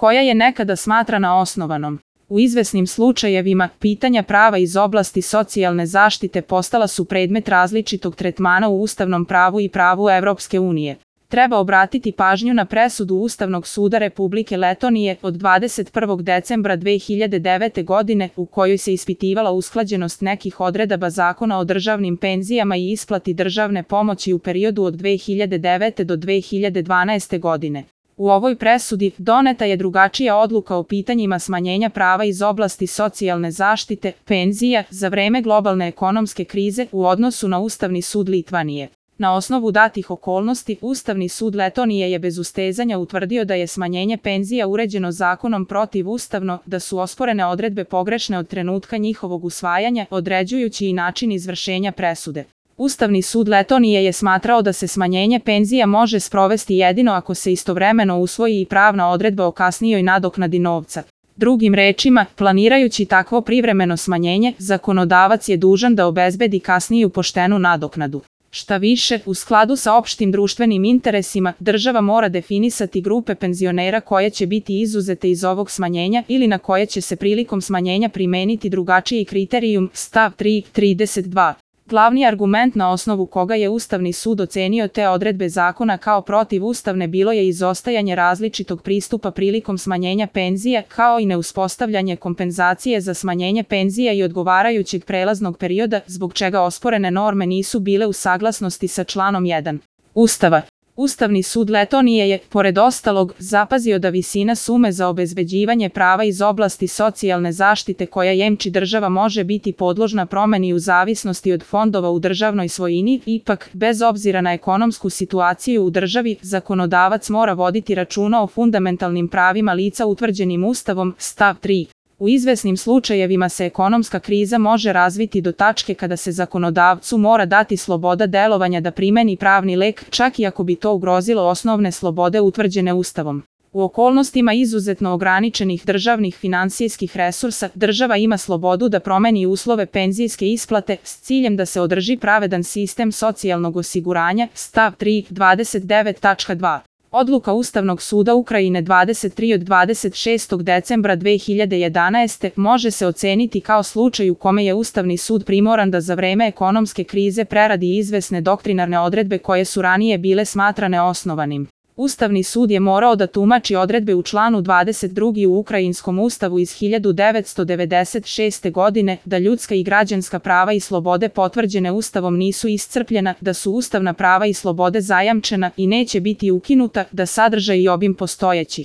koja je nekada smatrana osnovanom. U izvesnim slučajevima, pitanja prava iz oblasti socijalne zaštite postala su predmet različitog tretmana u ustavnom pravu i pravu Evropske unije. Treba obratiti pažnju na presudu Ustavnog suda Republike Letonije od 21. decembra 2009. godine u kojoj se ispitivala usklađenost nekih odredaba Zakona o državnim penzijama i isplati državne pomoći u periodu od 2009. do 2012. godine. U ovoj presudi doneta je drugačija odluka o pitanjima smanjenja prava iz oblasti socijalne zaštite, penzija, za vreme globalne ekonomske krize u odnosu na Ustavni sud Litvanije. Na osnovu datih okolnosti, Ustavni sud Letonije je bez ustezanja utvrdio da je smanjenje penzija uređeno zakonom protivustavno, da su osporene odredbe pogrešne od trenutka njihovog usvajanja, određujući i način izvršenja presude. Ustavni sud Letonije je smatrao da se smanjenje penzija može sprovesti jedino ako se istovremeno usvoji i pravna odredba o kasnijoj nadoknadi novca. Drugim rečima, planirajući takvo privremeno smanjenje, zakonodavac je dužan da obezbedi kasniju poštenu nadoknadu. Šta više, u skladu sa opštim društvenim interesima, država mora definisati grupe penzionera koje će biti izuzete iz ovog smanjenja ili na koje će se prilikom smanjenja primeniti drugačiji kriterijum, stav 3.32. Glavni argument na osnovu koga je Ustavni sud ocenio te odredbe zakona kao protivustavne bilo je izostajanje različitog pristupa prilikom smanjenja penzija, kao i neuspostavljanje kompenzacije za smanjenje penzija i odgovarajućeg prelaznog perioda, zbog čega osporene norme nisu bile u saglasnosti sa članom 1. Ustava. Ustavni sud Letonije je, pored ostalog, zapazio da visina sume za obezbeđivanje prava iz oblasti socijalne zaštite koja jemči država može biti podložna promeni u zavisnosti od fondova u državnoj svojini, ipak, bez obzira na ekonomsku situaciju u državi, zakonodavac mora voditi računa o fundamentalnim pravima lica utvrđenim Ustavom, stav 3. U izvesnim slučajevima se ekonomska kriza može razviti do tačke kada se zakonodavcu mora dati sloboda delovanja da primeni pravni lek, čak i ako bi to ugrozilo osnovne slobode utvrđene Ustavom. U okolnostima izuzetno ograničenih državnih finansijskih resursa, država ima slobodu da promeni uslove penzijske isplate s ciljem da se održi pravedan sistem socijalnog osiguranja, stav 3.29.2. Odluka Ustavnog suda Ukrajine 23 od 26. decembra 2011. može se oceniti kao slučaj u kome je Ustavni sud primoran da za vreme ekonomske krize preradi izvesne doktrinarne odredbe koje su ranije bile smatrane osnovanim. Ustavni sud je morao da tumači odredbe u članu 22. u Ukrajinskom ustavu iz 1996. godine, da ljudska i građanska prava i slobode potvrđene Ustavom nisu iscrpljena, da su ustavna prava i slobode zajamčena i neće biti ukinuta, da sadržaj i obim postojeći